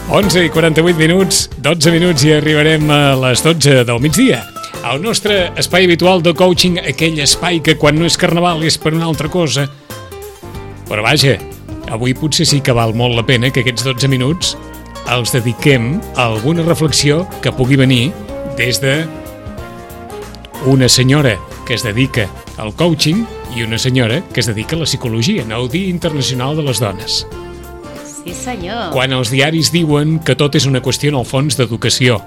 11:48, 12 minuts i arribarem a les 12 del migdia. El nostre espai habitual de coaching, aquell espai que quan no és carnaval és per una altra cosa. Però vaja, avui potser sí que val molt la pena que aquests 12 minuts els dediquem a alguna reflexió que pugui venir des de una senyora que es dedica al coaching i una senyora que es dedica a la psicologia, en el Dia Internacional de les Dones. Sí, senyor. Quan els diaris diuen que tot és una qüestió, en el fons, d'educació,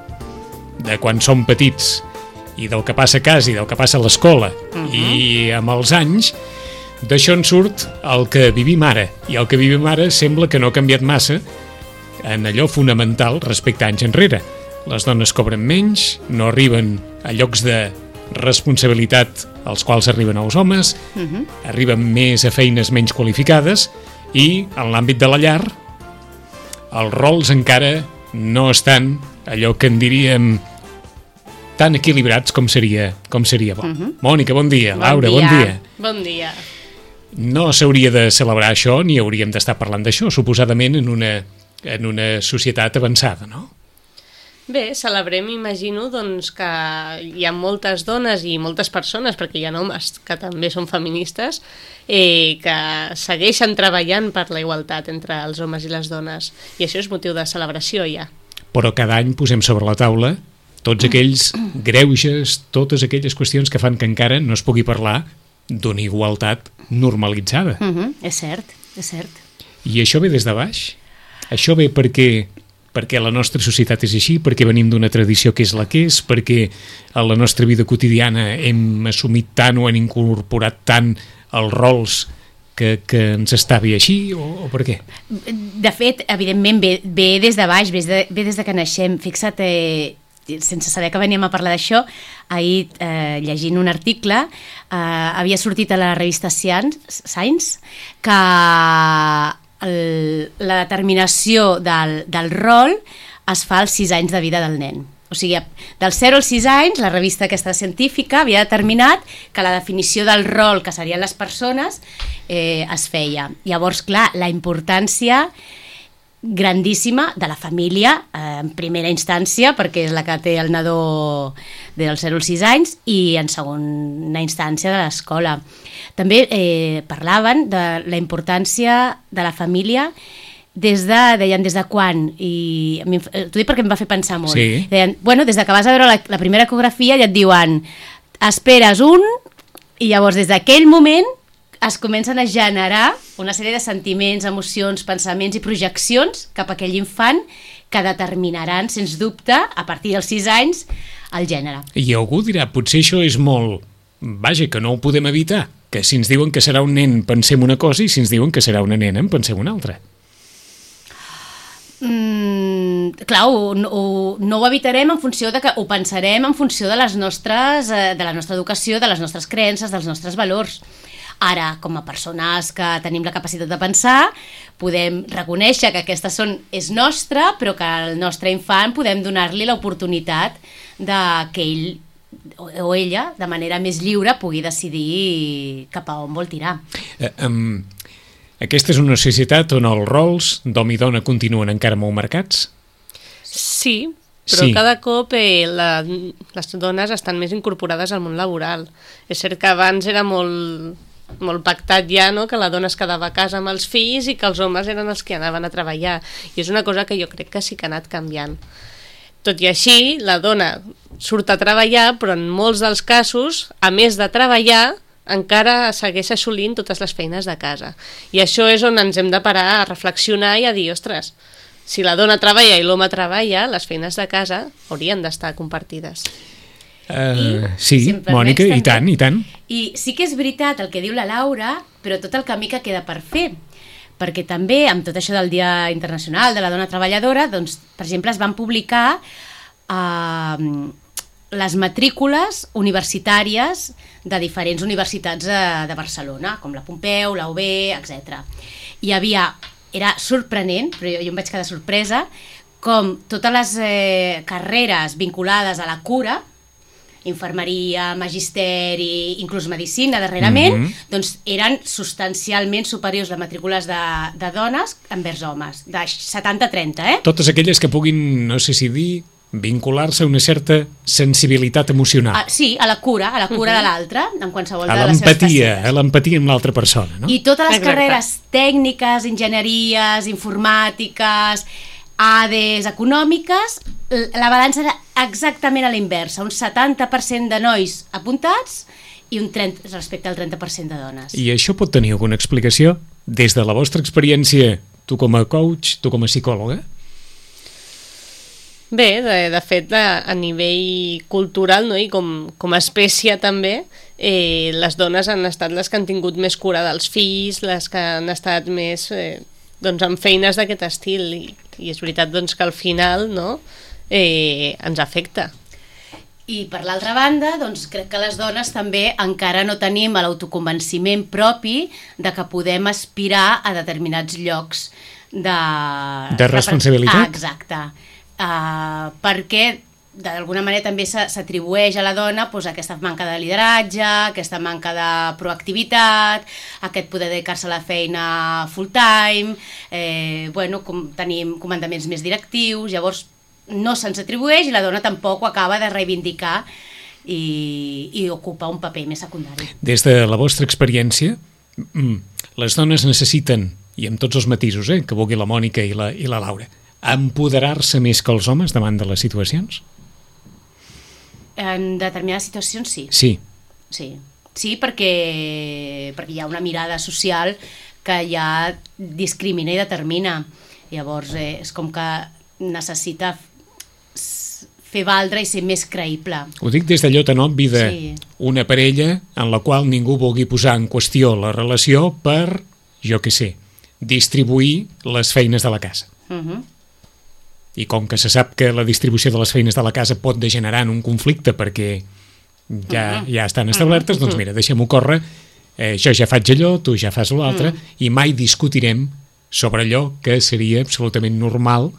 de quan som petits, i del que passa a casa i del que passa a l'escola, i amb els anys, d'això en surt el que vivim ara, i el que vivim ara sembla que no ha canviat massa en allò fonamental respecte a anys enrere. Les dones cobren menys, no arriben a llocs de responsabilitat als quals arriben els homes, arriben més a feines menys qualificades, i en l'àmbit de la llar els rols encara no estan allò que en diríem tan equilibrats com seria bo. Mònica, bon dia. Laura, bon dia. Bon dia. No s'hauria de celebrar això ni hauríem d'estar parlant d'això, suposadament en una societat avançada, no? Bé, celebrem, imagino, doncs, que hi ha moltes dones i moltes persones, perquè hi ha homes que també són feministes, que segueixen treballant per la igualtat entre els homes i les dones. I això és motiu de celebració, ja. Però cada any posem sobre la taula tots aquells greuges, totes aquelles qüestions que fan que encara no es pugui parlar d'una igualtat normalitzada. És cert, és cert. I això ve des de baix? Això ve perquè la nostra societat és així, perquè venim d'una tradició que és la que és, perquè a la nostra vida quotidiana hem assumit tant o hem incorporat tant els rols que ens està bé així, o per què? De fet, evidentment, ve des de baix, ve des de que naixem. Fixa't, sense saber que veníem a parlar d'això, ahir, llegint un article, havia sortit a la revista Science que la determinació del rol es fa als 6 anys de vida del nen. O sigui, dels 0 als 6 anys, la revista aquesta científica havia determinat que la definició del rol que serien les persones es feia. Llavors, clar, la importància grandíssima de la família, en primera instància, perquè és la que té el nadó dels 0 als 6 anys, i en segona instància de l'escola. També parlaven de la importància de la família deien des de quan, i t'ho dic perquè em va fer pensar molt. Sí. Deien, bueno, des de que vas a veure la primera ecografia ja et diuen esperes i llavors des d'aquell moment es comencen a generar una sèrie de sentiments, emocions, pensaments i projeccions cap a aquell infant que determinaran, sens dubte, a partir dels 6 anys, el gènere. I algú dirà, potser això és molt... Vaja, que no ho podem evitar, que si ens diuen que serà un nen pensem una cosa i si ens diuen que serà una nena en pensem una altra. Clar, no ho evitarem en funció de que ho pensarem en funció de la nostra educació, de les nostres creences, dels nostres valors. Ara, com a persones que tenim la capacitat de pensar, podem reconèixer que aquesta és nostra, però que al nostre infant podem donar-li l'oportunitat que ell o ella, de manera més lliure, pugui decidir cap a on vol tirar. Aquesta és una societat on els rols d'home i dona continuen encara molt marcats? Sí, però cada cop les dones estan més incorporades al món laboral. És cert que abans era molt pactat ja, no?, que la dona es quedava a casa amb els fills i que els homes eren els que anaven a treballar. I és una cosa que jo crec que sí que ha anat canviant. Tot i així, la dona surt a treballar, però en molts dels casos, a més de treballar, encara segueix assolint totes les feines de casa. I això és on ens hem de parar a reflexionar i a dir, ostres, si la dona treballa i l'home treballa, les feines de casa haurien d'estar compartides. Sí, si Mònica, i tant. I sí que és veritat el que diu la Laura, però tot el camí que queda per fer, perquè també amb tot això del Dia Internacional de la Dona Treballadora, doncs, per exemple, es van publicar les matrícules universitàries de diferents universitats de Barcelona, com la Pompeu, la UB, etc. Hi havia, era sorprenent, però jo em vaig quedar sorpresa, com totes les carreres vinculades a la cura infermeria, magisteri, inclús medicina darrerament, doncs eren substancialment superiors les matrícules de dones envers homes, de 70-30, Totes aquelles que puguin, no sé si dir, vincular-se a una certa sensibilitat emocional. Sí, a la cura de l'altre, en qualsevol a de les seves facetes. A l'empatia amb l'altra persona, no? I totes les carreres tècniques, enginyeries, informàtiques, ADES, econòmiques, la balança era exactament a la inversa, un 70% de nois apuntats i un 30, respecte al 30% de dones. I això pot tenir alguna explicació? Des de la vostra experiència, tu com a coach, tu com a psicòloga? Bé, de fet, a nivell cultural, no? I com a espècie també, les dones han estat les que han tingut més cura dels fills, les que han estat més doncs, amb feines d'aquest estil, i és veritat doncs, que al final no, ens afecta. I per l'altra banda, doncs, crec que les dones també encara no tenim l'autoconvenciment propi de que podem aspirar a determinats llocs de responsabilitat. Exacte. Perquè d'alguna manera també s'atribueix a la dona doncs, aquesta manca de lideratge, aquesta manca de proactivitat, aquest poder dedicar-se a la feina full time, tenim comandaments més directius, llavors no se'ns atribueix i la dona tampoc ho acaba de reivindicar i ocupa un paper més secundari. Des de la vostra experiència, les dones necessiten, i amb tots els matisos que vulgui la Mònica i la Laura, empoderar-se més que els homes davant de les situacions? En determinades situacions sí. Sí, perquè hi ha una mirada social que ja discrimina i determina. Llavors és com que necessita fer valdre i ser més creïble. Ho dic des d'allò tan obvi d'una parella en la qual ningú vulgui posar en qüestió la relació per, jo què sé, distribuir les feines de la casa. I com que se sap que la distribució de les feines de la casa pot degenerar en un conflicte perquè ja estan establertes, doncs mira, deixem-ho córrer, jo ja faig allò, tu ja fas l'altre, i mai discutirem sobre allò que seria absolutament normal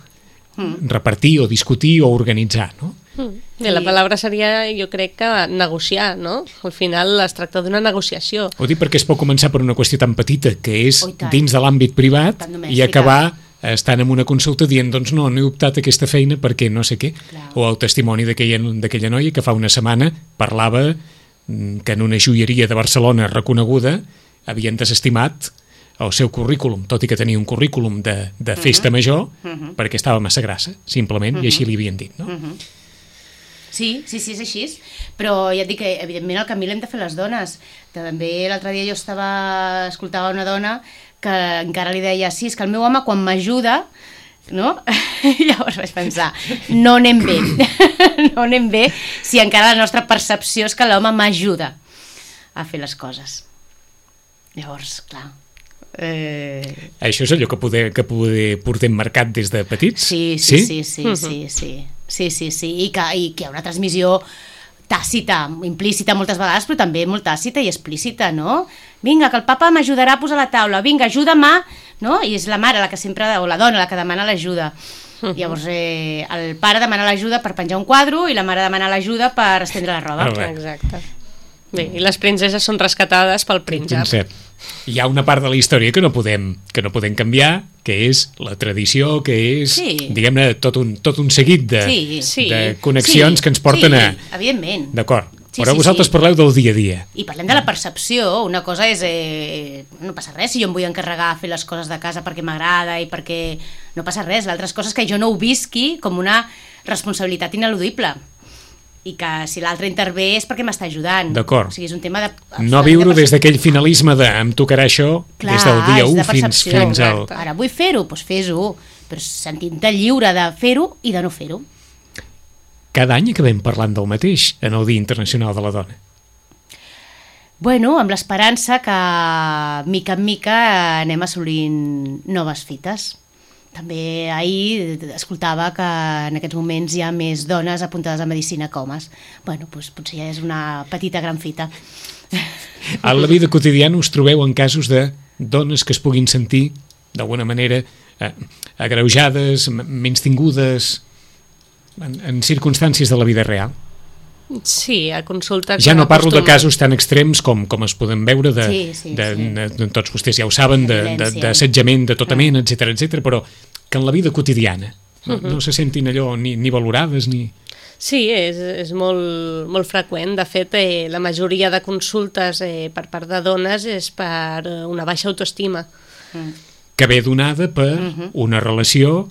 repartir o discutir o organitzar, no? Bé, la paraula seria, jo crec que negociar, no? Al final es tracta d'una negociació. Ho dic perquè es pot començar per una qüestió tan petita que és dins de l'àmbit privat i acabar estan en una consulta dient doncs no he optat aquesta feina perquè no sé què. O el testimoni d'aquella noia que fa una setmana parlava que en una joieria de Barcelona reconeguda havien desestimat el seu currículum, tot i que tenia un currículum de festa major, perquè estava massa grassa, simplement, i així li havien dit, no? Sí, és així, però ja et dic que evidentment el camí l'hem de fer les dones. També l'altre dia jo escoltava una dona que encara li deia, sí, és que el meu home quan m'ajuda, no? Llavors vaig pensar, no anem bé si encara la nostra percepció és que l'home m'ajuda a fer les coses. Llavors, clar... Això és allò que portem marcat des de petits? Sí, i que hi ha una transmissió tàcita, implícita moltes vegades, però també molt tàcita i explícita, no? Vinga, que el papa m'ajudarà a posar la taula, vinga, ajuda'm, no? I és la mare la que sempre, o la dona la que demana l'ajuda. Llavors el pare demana l'ajuda per penjar un quadre i la mare demana l'ajuda per estendre la roba. Exacte. Bé, i les princeses són rescatades pel príncep. Hi ha una part de la història que no podem canviar, que és la tradició, que és, diguem-ne, tot un seguit de connexions que ens porten a... Sí, evidentment. D'acord. Però vosaltres parleu del dia a dia. I parlem de la percepció. Una cosa és... no passa res si jo em vull encarregar a fer les coses de casa perquè m'agrada i perquè... No passa res. L'altra cosa és que jo no ho visqui com una responsabilitat ineludible. I que si l'altre intervé és perquè m'està ajudant. D'acord. O sigui, és un tema de... No viure des d'aquell finalisme de em tocarà això des del dia 1 fins al... Ara vull fer-ho, doncs fes-ho, però sentint-te lliure de fer-ho i de no fer-ho. Cada any acabem parlant del mateix en el Dia Internacional de la Dona. Bueno, amb l'esperança que mica en mica anem assolint noves fites. També ahir escoltava que en aquests moments hi ha més dones apuntades a medicina que homes. Bueno, doncs potser ja és una petita gran fita. A la vida quotidiana us trobeu en casos de dones que es puguin sentir d'alguna manera agreujades, menystingudes en circumstàncies de la vida real? Sí, a consulta... Ja no parlo de casos tan extrems com es poden veure Sí. de tots vostès ja ho saben, d'assetjament de tota mena, etc, però que en la vida quotidiana no se sentin allò ni valorades ni... Sí, és molt freqüent. De fet, la majoria de consultes per part de dones és per una baixa autoestima. Que ve donada per una relació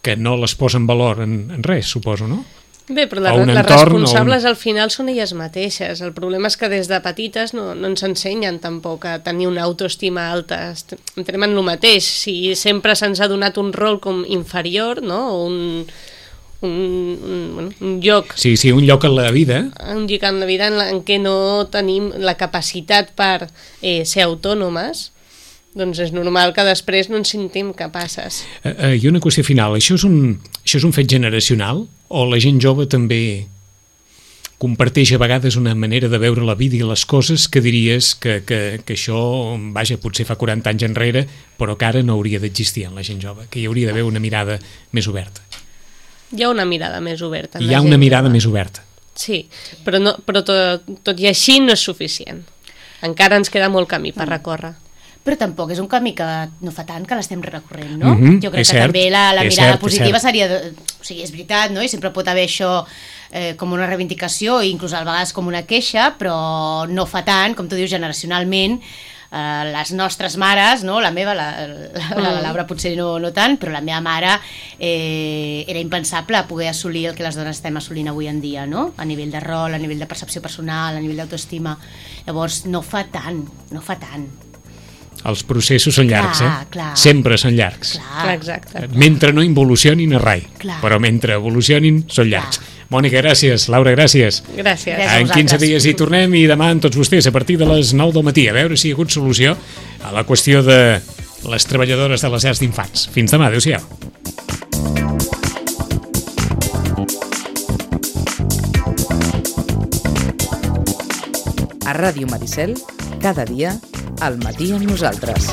que no les posa en valor en res, suposo, no? Bé, però les responsables al final són elles mateixes. El problema és que des de petites no ens ensenyen tampoc a tenir una autoestima alta. Entrem en el mateix. Si sempre se'ns ha donat un rol com inferior, no? O un lloc... Sí, un lloc en la vida. Un lloc en la vida en què no tenim la capacitat per ser autònomes, doncs és normal que després no ens sentim capaces. I una qüestió final, això és un fet generacional o la gent jove també comparteix a vegades una manera de veure la vida i les coses que diries que això, vaja, potser fa 40 anys enrere, però que ara no hauria d'existir en la gent jove, que hi hauria d'haver una mirada més oberta. Hi ha una mirada més oberta. Hi ha una mirada més oberta. Sí, però tot i així no és suficient. Encara ens queda molt camí per recórrer. Però tampoc és un camí que no fa tant que l'estem recorrent, no? Jo crec que també la mirada positiva seria... O sigui, és veritat, no? I sempre pot haver això com una reivindicació, i inclús a vegades com una queixa, però no fa tant, com tu dius, generacionalment, les nostres mares, no? La meva, la Laura potser no tant, però la meva mare era impensable poder assolir el que les dones estem assolint avui en dia, no? A nivell de rol, a nivell de percepció personal, a nivell d'autoestima. Llavors, no fa tant. Els processos són llargs, clar. Sempre són llargs. Clar, exacte. Mentre no involucionin a rai, però mentre evolucionin són llargs. Mònica, gràcies. Laura, gràcies. Gràcies. En 15 dies hi tornem i demà amb tots vostès a partir de les 9 del matí a veure si hi ha hagut solució a la qüestió de les treballadores de les llars d'infants. Fins demà, adéu-siau. A Ràdio Maricel, cada dia, al matí amb nosaltres.